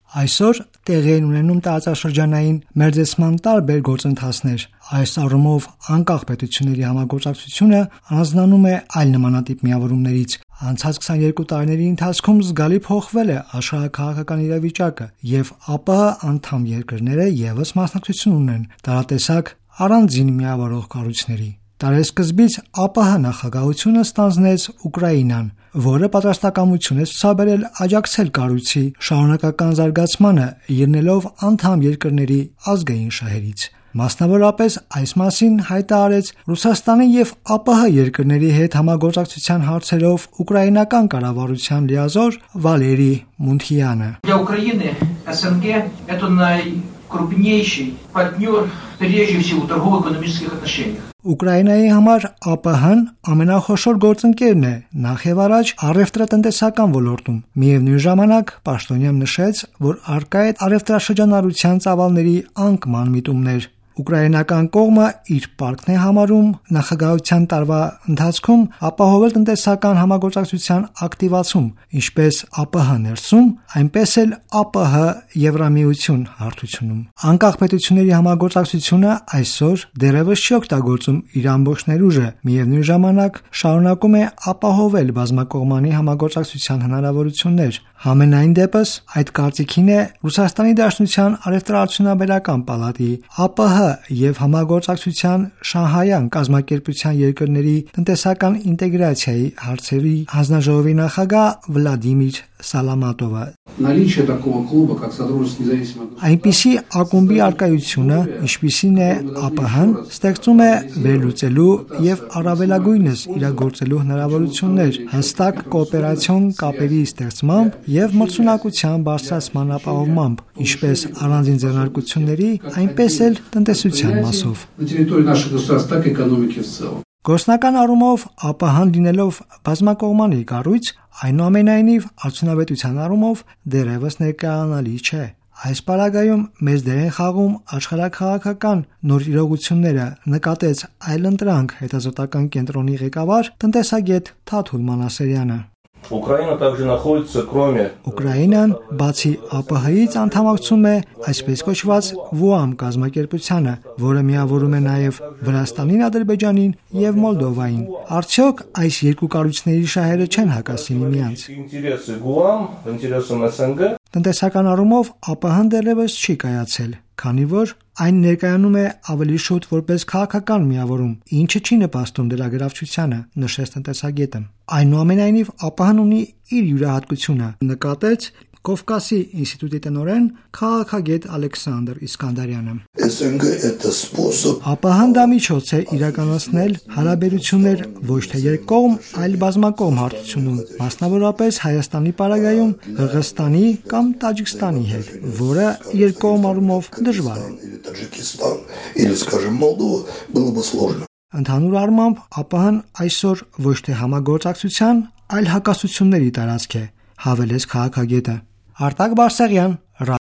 Այսօր տեղի են ունենում տարածաշրջանային մերձեցման տարբեր գործընթացներ։ Այս առումով անկախ պետությունների համագործակցությունը առանձնանում է այլ նմանատիպ միավորումներից։ Անցած 22 տարիների ընթացքում զգալի փոխվել է աշխարհաքաղաքական իրավիճակը, եւ ԱՊՀ անդամ երկրները եւս մասնակցություն ունեն տարատեսակ առանձին միավորող կառույցների։ Տարեսկզբից ԱՊՀ նախագահությունը ստանձնեց Ուկրաինան, որը պատրաստակամություն է ցուցաբերել աջակցել կառույցի շարունակական զարգացմանը, ելնելով անդամ երկրների ազգային շահերից։ Մասնավորապես այս մասին հայտարարեց Ռուսաստանի եւ ԱՊՀ երկրների հետ համագործակցության հարցերով ուկրաինական կառավարության լիազոր Վալերի Մունթյանը։ Для Украины СНГ это крупнейший партнер прежде всего в торгово-экономических отношениях. Ուկրաինայի համար ԱՊՀ-ն ամենախոշոր գործընկերն է նախ եւ առաջ առևտրատնտեսական ոլորտում։ Միևնույն ժամանակ պաշտոնյան նշեց, որ առկա է առևտրաշրջանառության ծավալների անկման միտումներ։ Ուկրաինական կողմը իր պարտքն է համարում նախագահության տարվա ընթացքում ապահովել տնտեսական համագործակցության ակտիվացում, ինչպես ԱՊՀ ներսում, այնպես էլ ԱՊՀ Եվրամիություն հարթությունում։ Անկախ պետությունների համագործակցությունը այսօր դեռևս չի օգտագործում իր ամբողջ ներուժը, միևնույն ժամանակ շարունակում է ապահովել բազմակողմանի համագործակցության հնարավորություններ։ Համենայն դեպս այդ կարծիքին է Ռուսաստանի Դաշնության առևտրաարդյունաբերական պալատի ԱՊՀ եւ համագործակցության Շանհայյան կազմակերպության երկրների տնտեսական ինտեգրացիայի հարցերի հանձնաժողովի նախագահ Վլադիմիր Սալամատովը։ Այնպիսի ակումբի արկայությունը, ինչպիսին է ԱՊՀ-ն, ստեղծում է վերլուծելու եւ առավելագույնս իրագործելու հնարավորություններ հստակ կոոպերացիոն կապերի ստեղծմամբ եւ մրցունակության բարձրացման ապահովմամբ, ինչպես առանձին ձեռնարկությունների, այնպես էլ տնտեսության մասով։ Գործնական առումով ԱՊՀ-ն լինելով բազմակողմանի կառույց, այնուամենայնիվ արդյունավետության առումով դեռևս ներկայանալի չէ։ Այս պարագայում մեծ դեր են խաղում աշխարհաքաղաքական նոր իրողությունները, նկատեց այլընտրանք հետազոտական կենտրոնի ղեկավար տնտեսագետ Թաթուլ Մանասերյանը։ Ուկրաինան բացի ԱՊՀ-ից անդամակցում է այսպես կոչված ՎՈԱՄ կազմակերպությանը, որը միավորում է նաև Վրաստանին, Ադրբեջանին եւ Մոլդովային։ Արդյոք այս երկու կառույցների շահերը չեն հակասի միմյանց։ Տնտեսական առումով ԱՊՀ-ն դեռևս չի կայացել, քանի որ այն ներկայանում է ավելի շուտ որպես քաղաքական միավորում, ինչը չի նպաստում դրա գրավչությանը, նշեց տնտեսագետը։ Այնուամենայնիվ ԱՊՀ-ն ունի իր յուրահատկությունը, նկատեց Կովկասի ինստիտուտի տնօրեն քաղաքագետ Ալեքսանդր Իսկանդարյանը։ ԱՊՀ-ն դա միջոց է իրականացնել հարաբերություններ ոչ թե երկկողմ, այլ բազմակողմ հարթությունում, մասնավորապես Հայաստանի պարագայում Ղրղըզստանի կամ Տաջիկստանի հետ, որը երկկողմ առումով դժվար է։ Ընդհանուր առմամբ ԱՊՀ-ն այսօր ոչ թե համագործակցության, այլ հակասությունների տարածք է, հավելեց քաղաքագետը։ Արտակ Բարսեղյան,